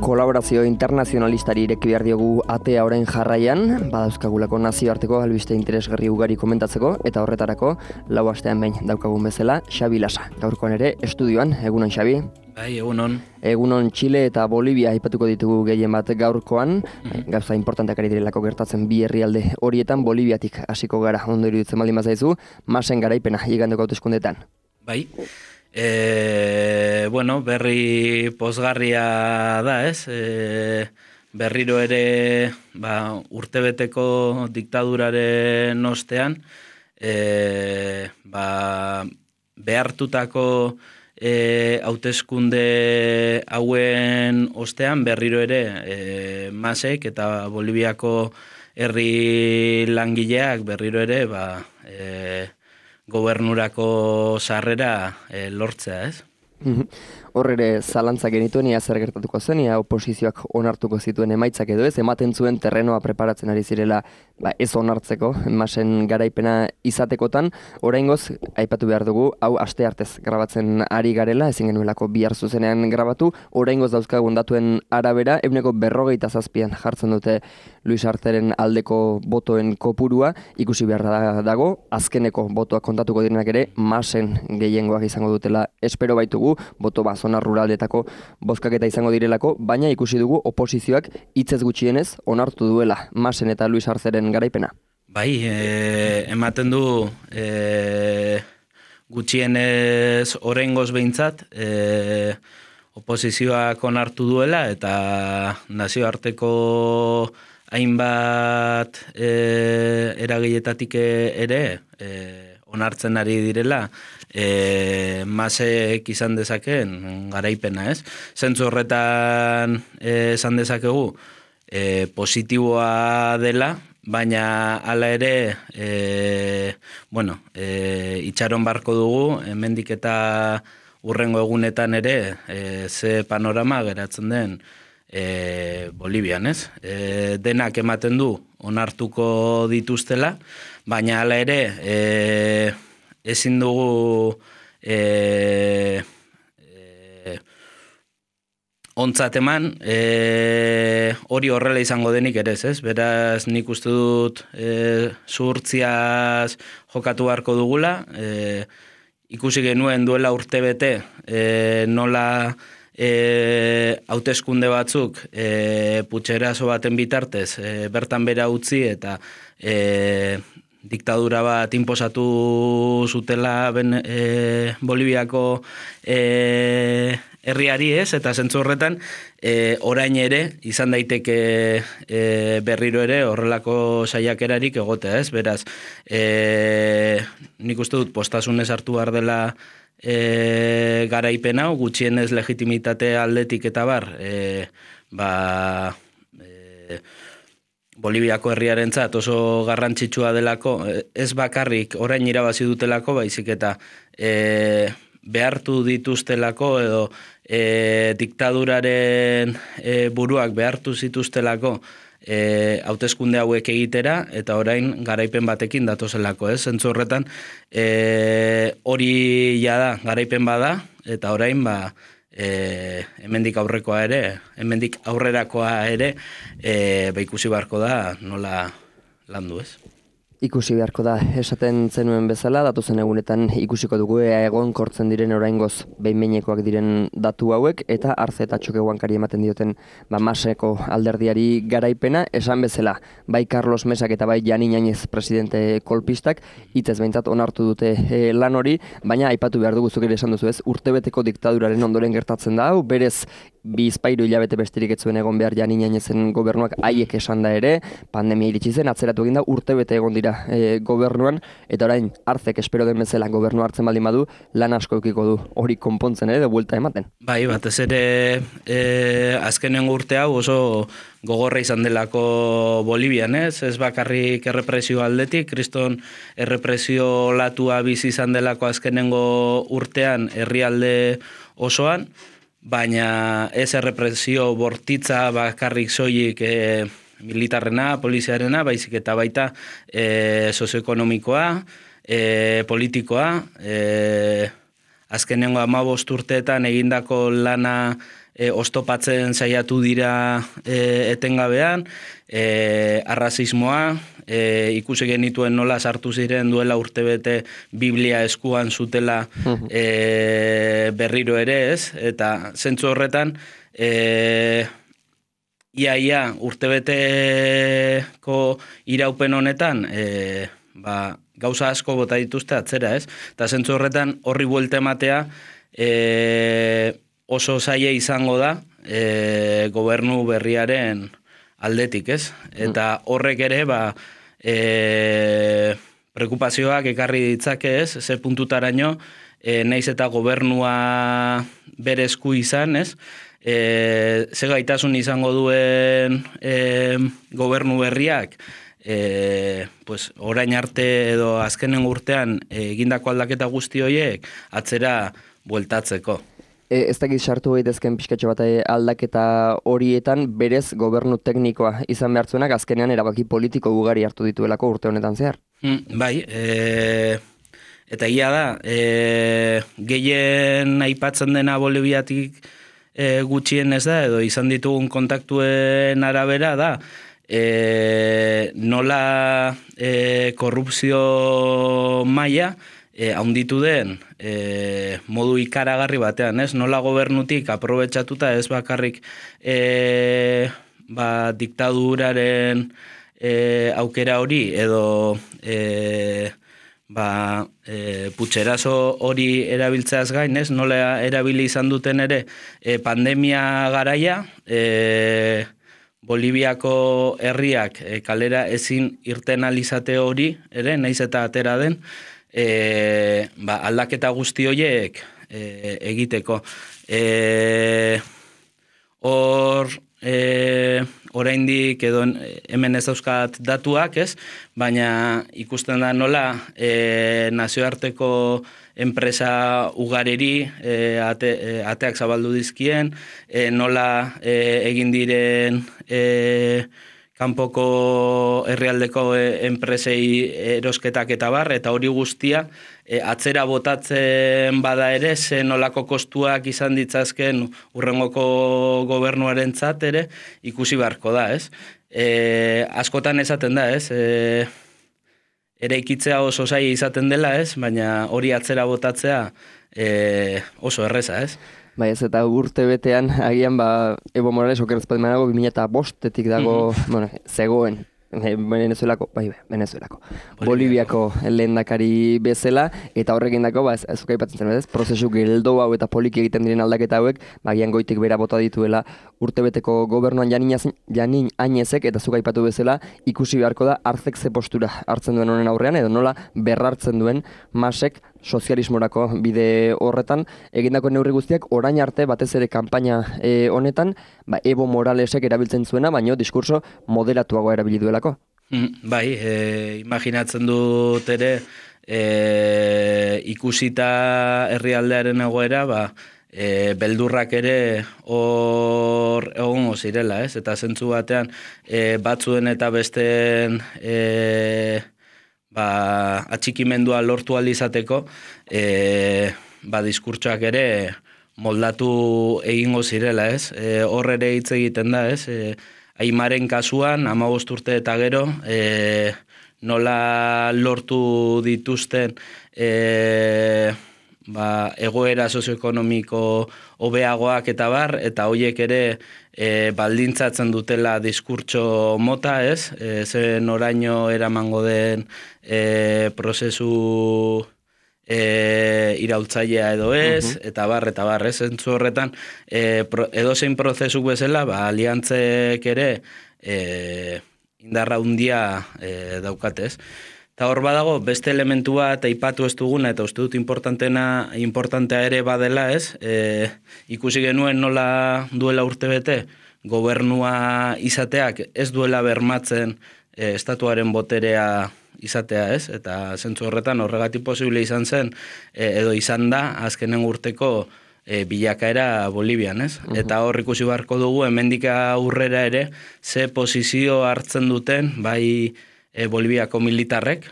Kolaborazio internazionalistari ireki behar diogu atea orain jarraian, badauzkagulako nazioarteko albiste interesgarri ugari komentatzeko, eta horretarako lau astean behin daukagun bezala Xabi Lasa. Gaurkoan ere estudioan, egunon Xabi? Bai, egunon. Egunon Txile eta Bolivia aipatuko ditugu gehien bat gaurkoan, gauza importanteak ari direlako gertatzen bi herrialde horietan, Boliviatik hasiko gara ondo iruditzen baldin bazaizu, masen garaipena igandeko hauteskundeetan. Bai. Berri pozgarria da, ez? Berriro ere urtebeteko diktaduraren ostean, behartutako hauteskunde hauen ostean berriro ere Masek eta Boliviako herri langileak berriro ere gobernurako sarrera lortzea, ez? Hor ere zalantza genituen, ia zer gertatuko zen, ia oposizioak onartuko zituen emaitzak edo ez, ematen zuen terrenoa preparatzen ari zirela ez onartzeko, masen garaipena izatekotan, oraingoz, aipatu behar dugu, hau asteartez grabatzen ari garela, ezin genuelako bihar zuzenean grabatu, oraingoz dauzkagun datuen arabera, 47% jartzen dute Luis Arteren aldeko botoen kopurua, ikusi behar dago, azkeneko botoak kontatuko direnak ere, masen gehiengoak izango dutela, espero baitugu, boto zona ruraldetako bozkaketa izango direlako, baina ikusi dugu oposizioak hitzez gutxienez onartu duela Masen eta Luis Arceren garaipena. Bai, ematen du gutxienez oraingoz behintzat oposizioak onartu duela eta nazioarteko hainbat eragileetatik ere onartzen ari direla Masek izan dezakeen garaipena, ez? Zentzu horretan esan dezakegu positiboa dela, baina hala ere itxaron barko dugu, hemendik eta hurrengo egunetan ere ze panorama geratzen den Bolivian, ez? Denak ematen du onartuko dituztela, baina hala ere ezin dugu ontzat eman hori horrela izango denik ere ez? Beraz nik uste dut zuhurtziaz jokatu beharko dugula, ikusi genuen duela urtebete nola hauteskunde batzuk putxerazo baten bitartez bertan bera utzi eta diktadura bat inposatu zutela Boliviako herriari, ez, eta zentzu horretan orain ere izan daiteke berriro ere horrelako saiakerarik egotea, ez, beraz nik uste dut postasunez hartu behar dela garaipen hau, gutxienez legitimitate aldetik eta bar Boliviako herriarentzat oso garrantzitsua delako, ez bakarrik orain irabazi dutelako, baizik eta behartu dituztelako edo diktaduraren buruak behartu zituztelako hauteskunde hauek egitera eta orain garaipen batekin datozelako, ez? Zentzu horretan hori jada garaipen bada eta orain hemendik aurrekoa ere, hemendik aurrerakoa ere ikusi beharko da nola landu, ez? Ikusi beharko da, esaten zenuen bezala, datozen egunetan ikusiko dugu egon kortzen diren oraingoz behin-behinekoak diren datu hauek, eta Arce eta Txoke Huankari ematen dioten Maseko alderdiari garaipena, esan bezala, bai Carlos Mesak eta bai Jani Ñañez presidente kolpistak, hitzez behintzat onartu dute lan hori, baina aipatu behar dugu zuk ere esan duzu ez, urtebeteko diktaduraren ondoren gertatzen da hau, berez bizpahiru hilabete besterik ez zuen egon behar Jani Ñañezen gobernuak haiek esan da ere, pandemia iritsi zen, atzeratu egin da, urtebete egon dira gobernuan, eta orain Arcek espero den bezala gobernu hartzen baldin badu, lan asko eukiko du hori konpontzen ere, de buelta ematen. Bai, batez ere azkenengo urte hau oso gogorra izan delako Bolivian, ez? Ez bakarrik errepresio aldetik, kriston errepresio latua bizi izan delako azkenengo urtean herrialde osoan, baina ez errepresio bortitza bakarrik soilik militarrena, poliziarena, baizik eta baita sozioekonomikoa, politikoa, azkenengo 15 urteetan egindako lana ostopatzen saiatu dira etengabean, arrazismoa, ikusi genituen nola sartu ziren duela urtebete Biblia eskuan zutela berriro ere, ez? Eta zentzu horretan, ia urtebeteko iraupen honetan, gauza asko bota dituzte atzera, ez? Eta zentzu horretan horri buelta ematea oso zaila izango da gobernu berriaren aldetik, ez? Eta horrek ere, preokupazioak ekarri ditzake, ez? Ze puntutaraino, naiz eta gobernua bere esku izan, ez? Ze gaitasun izango duen gobernu berriak, orain arte edo azkenen urtean egindako aldaketa guzti horiek atzera bueltatzeko. Ez dakit sartu daitezken pixkatxo bat aldaketa horietan berez gobernu teknikoa izan behartzuenak azkenean erabaki politiko ugari hartu dituelako urte honetan zehar. Bai, eta egia da, gehien aipatzen dena Boliviatik gutxien ez da, edo izan ditugun kontaktuen arabera da, nola korrupzio maila haunditu den modu ikaragarri batean, ez? Nola gobernutik aprobetxatuta ez bakarrik diktaduraren aukera hori edo putxerazo hori erabiltzeaz gain, ez? Nola erabili izan duten ere pandemia garaia, Boliviako herriak kalera ezin irten alizate hori ere, naiz eta atera den, aldaketa guzti horiek egiteko. Oraindik edo hemen ez dauzkat datuak, ez? Baina ikusten da nola nazioarteko enpresa ugareri ateak zabaldu dizkien, nola egin diren kanpoko herrialdeko enpresei erosketak eta bar, eta hori guztia atzera botatzen bada ere, ze nolako kostuak izan ditzazken urrengoko gobernuarentzat ere ikusi beharko da, ez? Askotan esaten da, ez? Eraikitzea oso zaila izaten dela, ez? Baina hori atzera botatzea oso erreza, ez? Bai, ez eta urte betean, agian, Evo Morales okerrezpat manago, 2005-etik dago, zegoen, Venezuelako. Boliviako lehendakari bezala, eta horrekin dako, ez aipatzen zen, ez? Prozesu geldo hau eta poliki egiten diren aldaketa hauek, agian goitik bera bota dituela urtebeteko gobernuan Janin Añezek, eta zuk aipatu bezala, ikusi beharko da hartzek ze postura hartzen duen honen aurrean, edo nola berrartzen duen Masek sozialismorako bide horretan, egindako neurri guztiak orain arte batez ere kanpaina honetan, Evo Moralesek erabiltzen zuena, baino diskurso moderatuago erabili duelako. Bai, imaginatzen dut ere, ikusita herrialdearen egoera, beldurrak ere hor egongo zirela, ez? Eta zentzu batean, batzuen eta besteen atxikimendua lortu alizateko, diskurtsoak ere moldatu egingo zirela, ez? Hor ere hitz egiten da, ez? Aimaren kasuan, 15 urte eta gero, nola lortu dituzten egoera sozioekonomiko hobeagoak eta bar, eta hoiek ere baldintzatzen dutela diskurtso mota, ez? Zen oraino eramango den prozesu iraultzailea edo ez, eta bar, ez? Zentzu horretan, edozein prozesu bezala, aliantzek ere indarra handia daukatez. Eta hor badago, beste elementu bat aipatu ez duguna, eta uste dut importantea ere badela, ez? Ikusi genuen nola duela urtebete, gobernua izateak ez duela bermatzen estatuaren boterea izatea, ez? Eta zentzu horretan horregatik posible izan zen, edo izan da, azkenen urteko bilakaera Bolivian, ez? Eta hor ikusi beharko dugu, hemendik aurrera ere, ze posizio hartzen duten, bai Boliviako militarrek,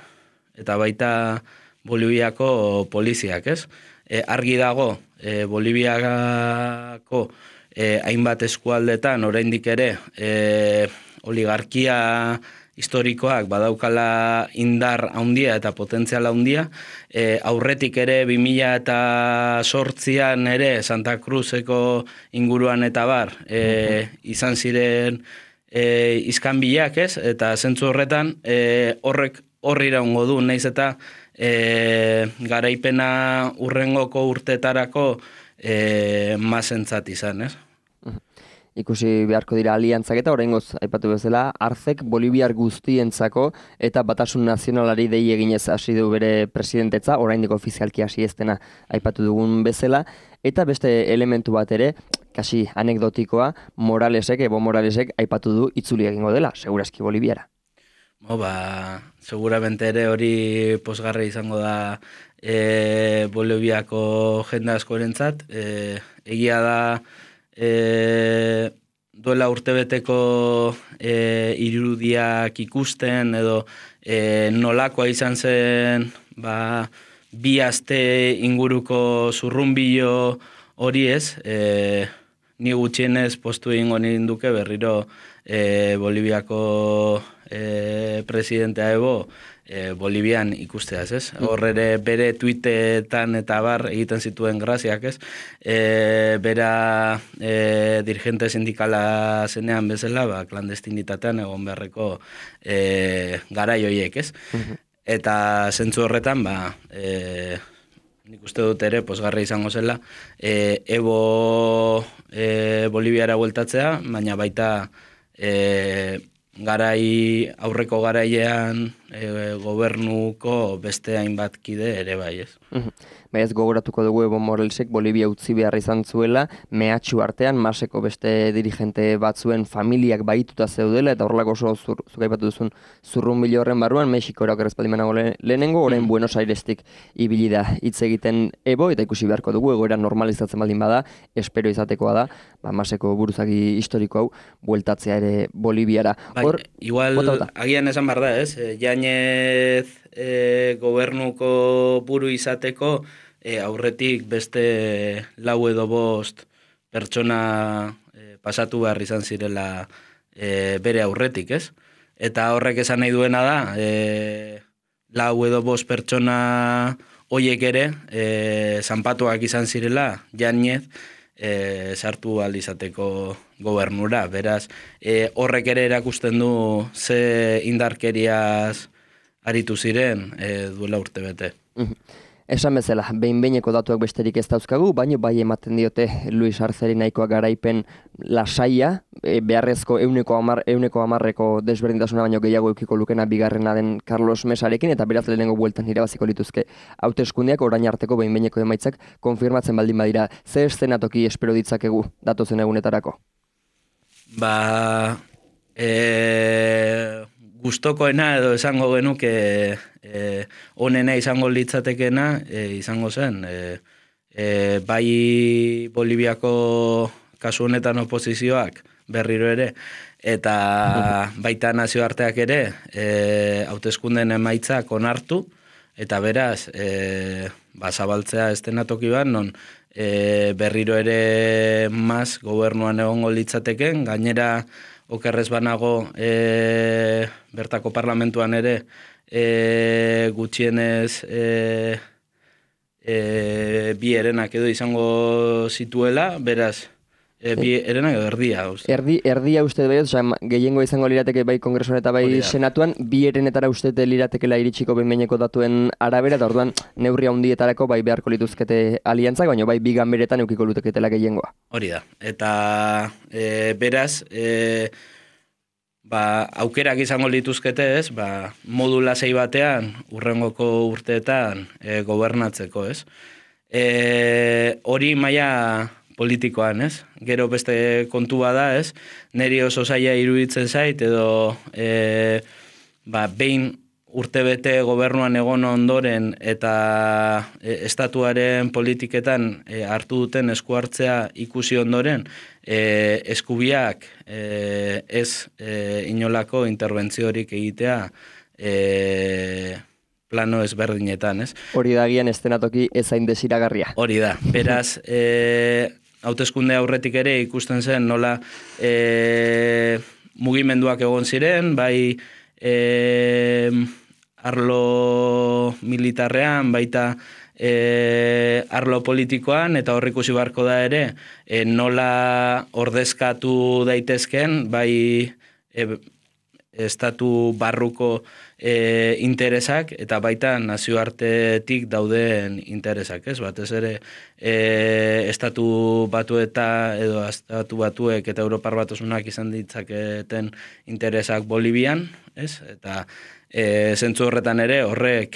eta baita Boliviako poliziak, ez? Argi dago, Boliviako hainbat eskualdetan oraindik ere oligarkia historikoak badaukala indar handia eta potentzial handia, aurretik ere 2008an ere Santa Cruzeko inguruan eta bar, izan ziren izkanbilak, ez? Eta zentzu horretan, horrek horri iraungo du, naiz eta garaipena urrengoko urtetarako mazentzat izan, ez? Ikusi beharko dira aliantzak eta oraingoz aipatu bezala, Arcek Boliviar guztientzako eta Batasun Nazionalari dei eginez hasi du bere presidentetza, oraindik ofizialki hasi ez dena aipatu dugun bezala, eta beste elementu bat ere, kasi anekdotikoa, Evo Moralesek aipatu du itzuli egingo dela, segurazki Boliviara. Seguramente ere hori posgarra izango da Boliviako jende askorentzat, egia da duela urtebeteko irudiak ikusten edo nolakoa izan zen bi aste inguruko zurrunbilo hori ez, ni gutxienez postu egingo ninduke berriro Boliviako presidentea Evo Bolivian ikusteaz, ez? Hor ere bere tuitetan eta bar egiten zituen graziak, ez? Bera dirigente sindikala zenean bezala, klandestinitatean egon beharreko garai horiek, ez? Eta zentzu horretan, nik uste dut ere, posgarra izango zela, Evo Boliviara bueltatzea, baina baita aurreko garailean gobernuko beste hainbat kide ere bai, ez. Ez gogoratuko dugu Evo Moralesek Bolivia utzi behar izan zuela, mehatxu artean, Maseko beste dirigente batzuen familiak bahituta zeudela, eta horrelako oso zuk aipatu duzun zurrunbilo horren barruan, Mexikora okerrezpaldimanago lehenengo, orain Buenos Airestik ibili da hitz egiten Evo, eta ikusi beharko dugu, egoera normalizatzen baldin bada, espero izatekoa da, Maseko buruzagi historiko hau, bueltatzea ere Boliviara. Igual, agian esan behar da, ez? Jainez gobernuko buru izateko, aurretik beste 4 edo 5 pertsona pasatu behar izan zirela bere aurretik, ez? Eta horrek esan nahi duena da, 4 edo 5 pertsona hoiek ere, zanpatuak izan zirela, Jainez, sartu aldizateko gobernura. Beraz, horrek ere erakusten du ze indarkeriaz aritu ziren duela urtebete. Esan bezala, behin-behineko datuak besterik ez dauzkagu, baina bai ematen diote Luis Arceri nahikoa garaipen lasaia, beharrezko 110% desberdintasuna baino gehiago eukiko lukena bigarrena den Carlos Mesarekin, eta beraz lehenengo bueltan irabaziko lituzke hauteskundeak orain arteko behin-behineko emaitzak konfirmatzen baldin badira. Ze eszenatoki espero ditzakegu datozen egunetarako? Gustokoena edo esango genuke onena izango litzatekena izango zen. Bai Boliviako kasu honetan oposizioak berriro ere, eta baita nazioarteak ere hauteskundeen emaitzak onartu, eta beraz zabaltzea estenatoki bat, non berriro ere Mas gobernuan egongo litzateken, gainera okerrez banago bertako parlamentuan ere gutxienez bi herenak edo izango zituela, beraz, bi herenak edo erdia. Erdia uste dut, gehiengo izango lirateke bai kongresuan eta bai senatuan, bi herenetara uste liratekela iritsiko behin-behineko datuen arabera, eta orduan neurri handietarako bai beharko lituzkete aliantzak, baina bai bi ganberetan eukiko luteketela gehiengoa. Hori da, eta beraz, aukerak izango lituzkete ez, modu lasai batean, urrengoko urteetan gobernatzeko ez. Hori maila politikoan ez, gero beste kontua da ez, niri oso zaila iruditzen zait, edo behin urtebete gobernuan egon ondoren eta estatuaren politiketan hartu duten esku hartzea ikusi ondoren, eskubiak ez inolako interbentziorik egitea plano ezberdinetan, ez? Hori da agian estenatoki ezain desiragarria. Hori da, beraz, hauteskunde aurretik ere ikusten zen nola mugimenduak egon ziren, bai arlo militarrean, baita arlo politikoan, eta hor ikusi beharko da ere, nola ordezkatu daitezken, bai estatu barruko interesak, eta baita nazioartetik dauden interesak, ez? Batez ere, estatu batuek eta Europar Batasunak izan ditzaketen interesak Bolivian, ez? Eta zentzu horretan ere, horrek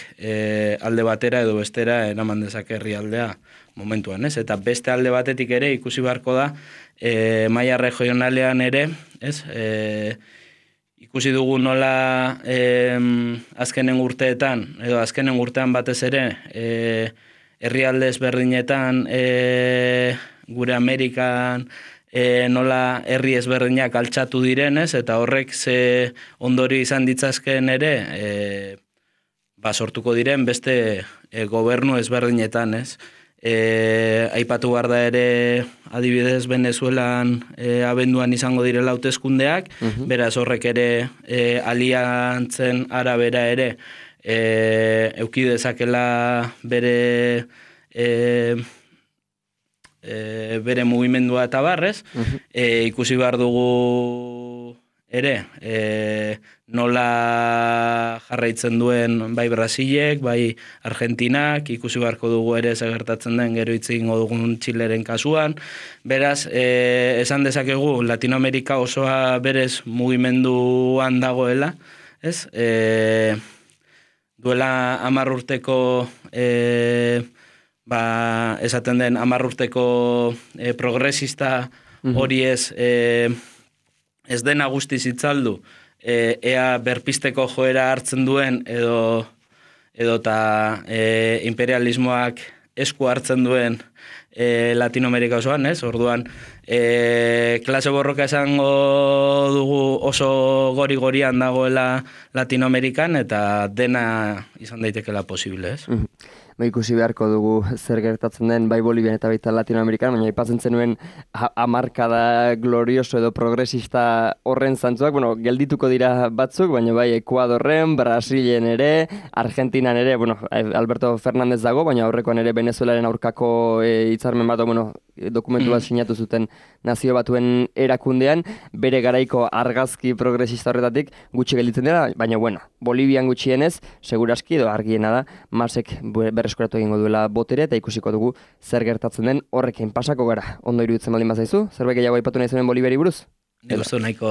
alde batera edo bestera eraman dezake herrialdea momentuan, ez? Eta beste alde batetik ere ikusi beharko da, maila regionalean ere, ez? Ikusi dugu nola azkenen urteetan, edo azkenen urtean batez ere, herrialde ezberdinetan, gure Amerikan, nola herri ezberdinak altxatu direnez, eta horrek ze ondori izan ditzazken ere, sortuko diren beste gobernu ezberdinetan, ez? Aipatu behar da ere adibidez Venezuelan abenduan izango direla hauteskundeak, beraz horrek ere aliantzen arabera ere euki dezakela bere mugimendua eta barrez, ikusi behar dugu ere nola jarraitzen duen bai Brasilek, bai Argentinak, ikusi beharko dugu ere gertatzen den gero hitz egingo dugun Txileren kasuan. Beraz, esan dezakegu Latinoamerika osoa berez mugimenduan dagoela, ez? Duela 10 urteko esaten den 10 urteko progresista hori ez dena guztiz itzaldu, ea berpisteko joera hartzen duen edo eta imperialismoak esku hartzen duen Latinoamerika osoan, ez? Orduan, klase borroka esango dugu oso gori-gorian dagoela Latinoamerikan eta dena izan daitekela posible, ez? Ikusi beharko dugu zer gertatzen den bai Bolivian eta baita Latinoamerikan, baina aipatzen zenuen hamarkada glorioso edo progresista horren zantzuak, geldituko dira batzuk, baina bai Ekuadorren, Brasilen ere, Argentinan ere, Alberto Fernández dago, baina aurrekoan ere Venezuelaren aurkako hitzarmen bat, dokumentu bat sinatu zuten Nazio Batuen erakundean, bere garaiko argazki progresista horretatik gutxi gelditzen dira, baina Bolivian gutxienez, seguraski edo argiena da, Masek berreskuratu egingo duela botere eta ikusiko dugu zer gertatzen den horrekin pasako gara. Ondo iruditzen baldin bazaizu? Zerbait gehiago aipatu nahi zuen Boliviari buruz? Nik uste nahiko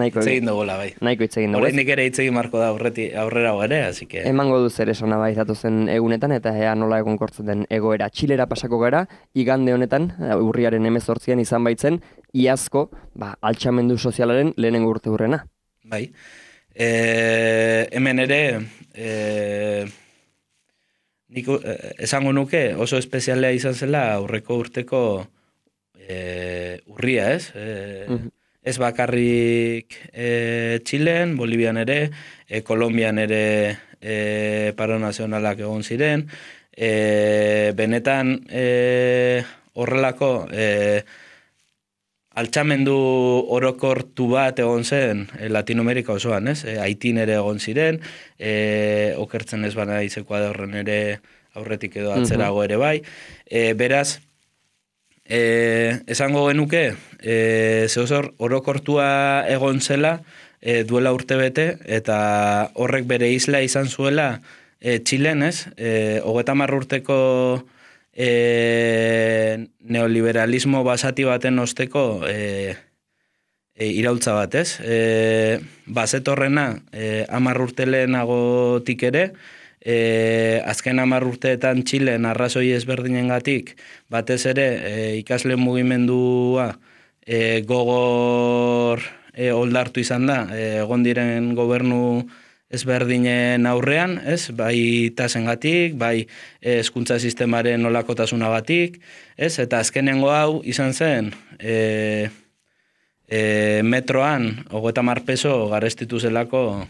itzegin dugola, bai. Nahiko itzegin dugu. Horreinik ere itzegin marko da aurrera ere, así que... Emango du zer esana bai datozen egunetan eta ea nola egonkortzen den egoera. Txilera pasako gara, igande honetan, urriaren 18an izan baitzen, iazko, altxamendu sozialaren lehenengo urte hurrena. Bai. Hemen ere... Nik esango nuke oso espezialea izan zela aurreko urteko urria, ez? Ez bakarrik Txilen, Bolivian ere, Kolombian ere paro nazionalak egon ziren, benetan horrelako altxamendu orokortu bat egon zen Latinoamerika osoan, ez? Haitin ere egon ziren, okertzen ez bana Ekuadorren ere aurretik edo atzerago ere bai. Beraz, esango genuke, zehozor orokortua egon zela duela urtebete, eta horrek bere isla izan zuela Txilen, ez? 30 urteko neoliberalismo basati baten osteko iraultza bat, ez? Bazetorrena 10 urte lehenagotik ere, azken 10 urteetan Txilen arrazoi ezberdinengatik batez ere ikasle mugimendua gogor oldartu izan da, egon diren gobernu ezberdinen aurrean, ez? Bai tasengatik, bai hezkuntza sistemaren nolakotasunagatik, ez? Eta azkenengo hau izan zen metroan 30 peso garestitu zelako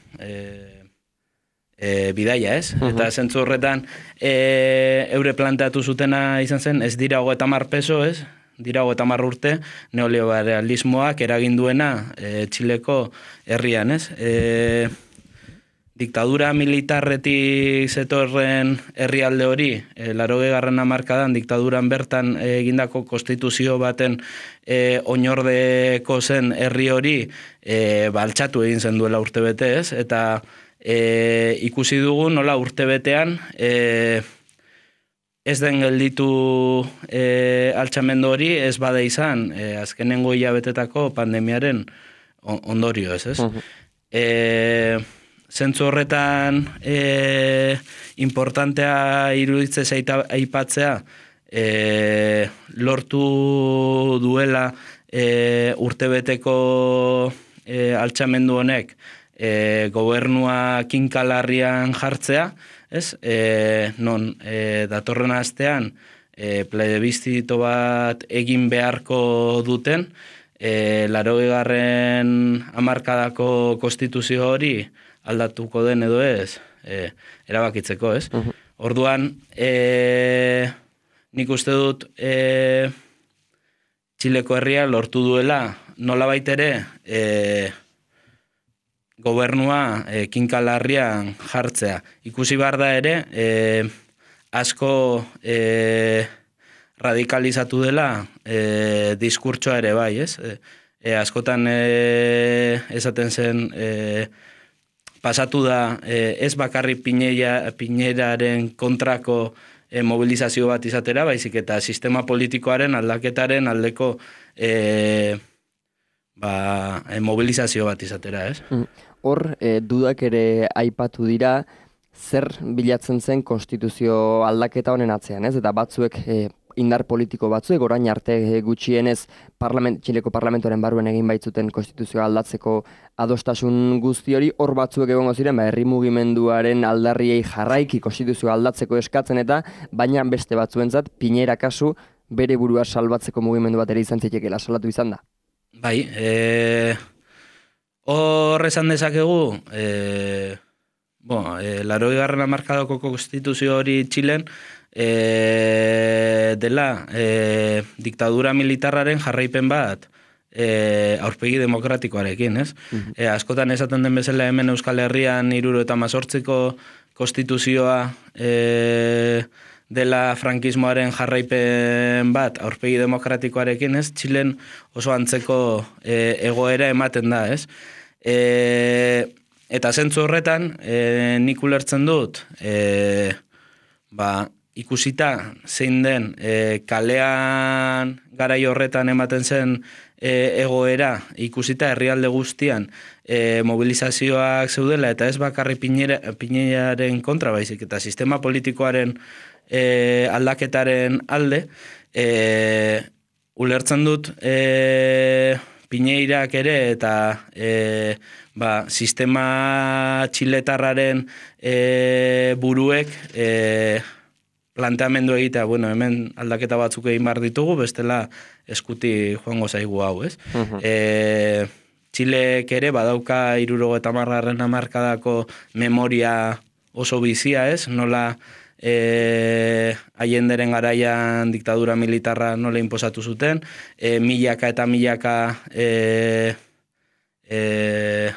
bidaia, ez? Eta zentzu horretan eure planteatu zutena izan zen, ez dira 30 peso, ez? dira 30 urte neoliberalismoak eragin duena Txileko herrian, ez? Diktadura militarretik zetorren herrialde hori, 80. hamarkadan diktaduran bertan egindako konstituzio baten oinordeko zen herri hori altxatu egin zen duela urtebete, ez? Eta ikusi dugu nola urtebetean ez den gelditu altxamendu hori, ez bada izan azkenengo hilabetetako pandemiaren ondorio, ez? Zentzu horretan importantea iruditzez aipatzea, lortu duela urtebeteko altxamendu honek gobernua kinkalarrian jartzea, ez? Non datorren astean plebistzito bat egin beharko duten, 80. hamarkadako konstituzio hori aldatuko den edo ez, erabakitzeko, ez? Orduan, nik uste dut Txileko herria lortu duela nolabait ere gobernua kinkalarrian jartzea. Ikusi behar da ere, asko radikalizatu dela diskurtsoa ere bai, ez? Askotan esaten zen pasatu da ez bakarri Piñeraren kontrako mobilizazio bat izatera, baizik eta sistema politikoaren aldaketaren aldeko mobilizazio bat izatera, ez? Hor, dudak ere aipatu dira, zer bilatzen zen konstituzio aldaketa honen atzean, ez? Eta batzuek indar politiko batzuek, orain arte gutxienez Txileko parlamentoaren barruen egin baitzuten konstituzioa aldatzeko adostasun guzti hori, hor batzuek egongo ziren, herri mugimenduaren aldarriei jarraiki konstituzioa aldatzeko eskatzen eta, baina beste batzuentzat, Piñera kasu bere burua salbatzeko mugimendu bat ere izan zitekeela, salatu izan da. Bai, hor esan dezakegu, 80. hamarkadako konstituzio hori Txilen, dela diktadura militarraren jarraipen bat aurpegi demokratikoarekin, ez? Askotan esaten den bezala hemen Euskal Herrian 78ko konstituzioa dela frankismoaren jarraipen bat aurpegi demokratikoarekin, ez? Txilen oso antzeko egoera ematen da, ez? Eta zentzu horretan, nik ulertzen dut, ikusita zein den kalean garai horretan ematen zen egoera, ikusita herrialde guztian mobilizazioak zeudela, eta ez bakarri Piñeraren kontra baizik, eta sistema politikoaren aldaketaren alde, ulertzen dut Piñerak ere eta sistema txiletarraren buruek planteamendu egitea, hemen aldaketa batzuk egin behar ditugu, bestela eskuti joango zaigu hau, ez? Txilek ere badauka 70. hamarkadako memoria oso bizia, ez? Nola Allenderen garaian diktadura militarra nola inposatu zuten, milaka eta milaka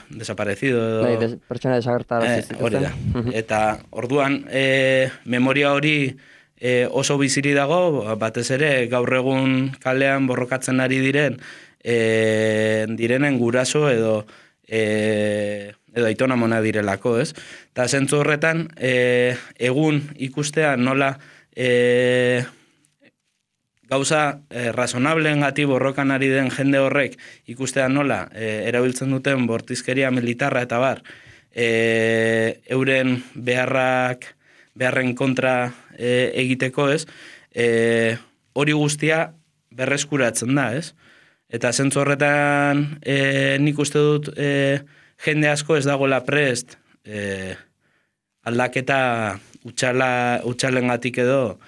desaparecido edo... Pertsona desagertara hori da. Eta orduan, memoria hori oso biziri dago, batez ere gaur egun kalean borrokatzen ari direnen guraso edo aitona mona direlako, ez? Eta zentzu horretan, egun ikustea nola gauza razonableen gati borrokan ari den jende horrek ikustea nola erabiltzen duten bortizkeria militarra eta bar, euren beharren kontra egiteko, ez? Hori guztia berreskuratzen da, ez? Eta zentzu horretan nik uste dut jende asko ez dagoela prest aldaketa utxalengatik edo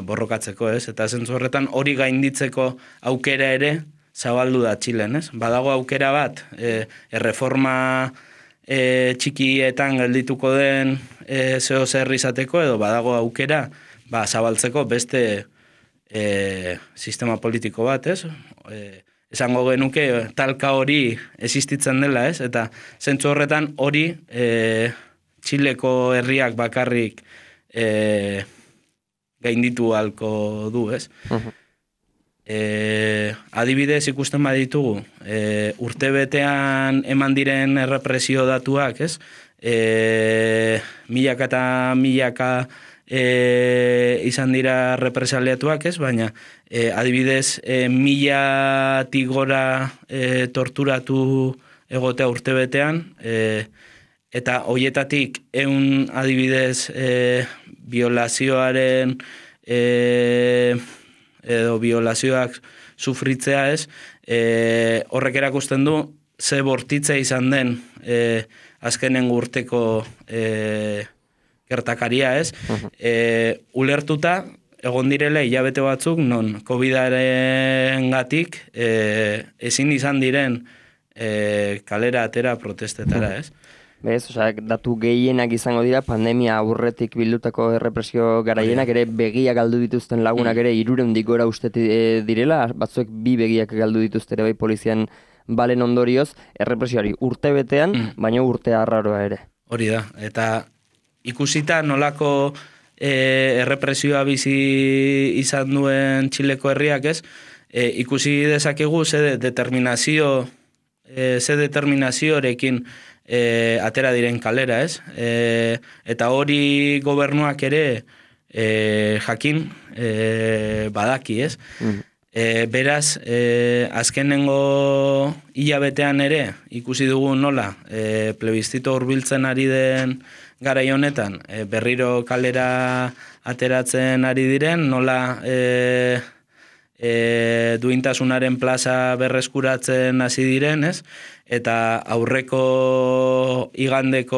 borrokatzeko, ez? Eta zentzu horretan hori gainditzeko aukera ere zabaldu da Txilen, ez? Badago aukera bat, erreforma txikietan geldituko den zeo zer izateko, edo badago aukera zabaltzeko beste sistema politiko bat, ez? Esango genuke talka hori existitzen dela, ez? Eta zentzu horretan hori Txileko herriak bakarrik gainditu halko du, ez? Adibidez ikusten baditugu, urtebetean eman diren errepresio datuak, ez? Milaka eta milaka izan dira represaliatuak, ez? Baina adibidez 1000-tik gora torturatu egotea urtebetean, eta hoietatik 100 adibidez violazioaren edo violazioak sufritzea, ez? Horrek erakusten du ze bortitza izan den azkenen urteko gertakaria, ez? Ulertuta egon direla hilabete batzuk non COVID-aren gatik ezin izan diren kalera atera protestetara, ez? Bez, datu gehienak izango dira, pandemia aurretik bildutako errepresio garaienak ere begiak galdu dituzten lagunak ere 300-tik gora uste direla, batzuek 2 begiak galdu dituzte ere bai polizian balen ondorioz, errepresioari urte betean, baina urte arraroa ere. Hori da, eta ikusita nolako errepresioa bizi izan duen Txileko herriak, ez? Ikusi dezakegu ze determinazioarekin atera diren kalera, ez? Eta hori gobernuak ere jakin badaki, ez? Beraz, azkenengo hilabetean ere ikusi dugu nola plebizito hurbiltzen ari den garai honetan berriro kalera ateratzen ari diren, nola duintasunaren plaza berreskuratzen hasi diren, ez? Eta aurreko igandeko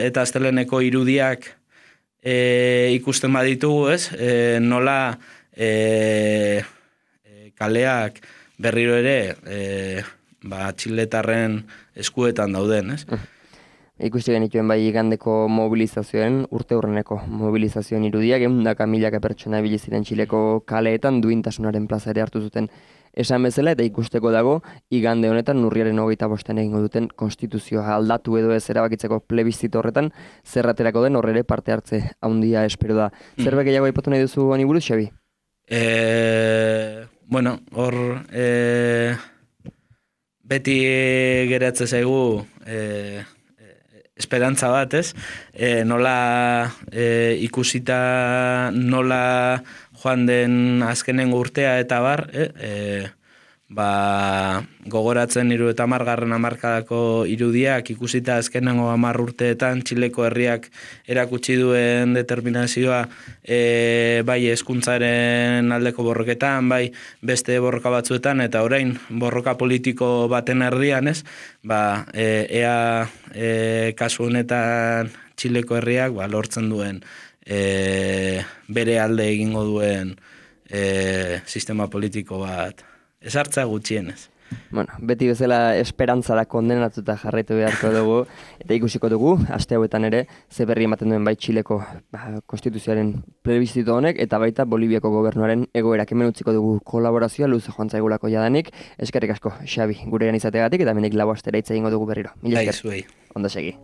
eta asteleneko irudiak ikusten baditugu, ez? Nola kaleak berriro ere txiletarren eskuetan dauden, ez? Ikusi genituen bai igandeko mobilizazioen, urte hurreneko mobilizazioen irudiak, 100.000 pertsona ibili ziren Txileko kaleetan duintasunaren plaza ere hartu zuten esan bezala, eta ikusteko dago igande honetan urriaren 25 egingo duten konstituzioa aldatu edo ez erabakitzeko plebizito horretan zerraterako den horre parte hartze handia espero da. Zerbait gehiago aipatu nahi duzu honi buruz, Xabi? Bueno, hor beti geratze zaigu esperantza bat, ez? Nola ikusita nola joan den azkenengo urtea eta bar, gogoratzen 30. hamarkadako irudiak ikusita azkenengo 10 urteetan Txileko herriak erakutsi duen determinazioa bai hezkuntzaren aldeko borroketan, bai beste borroka batzuetan, eta orain borroka politiko baten erdian, ez? Ea kasu honetan Txileko herriak lortzen duen bere alde egingo duen sistema politiko bat ezartza gutxienez. Bueno, beti bezala esperantzara kondenatuta jarraitu beharko dugu, eta ikusiko dugu, aste hauetan ere, ze berri ematen duen bai Txileko konstituzioaren plebizito honek, eta baita Boliviako gobernuaren egoerak. Hemen utziko dugu kolaborazioa luze joan zaigulako jadanik. Eskerrik asko, Xabi, gurean izategatik, eta hemenik lau astera hitz egingo dugu berriro. Mila esker. Ondo segi.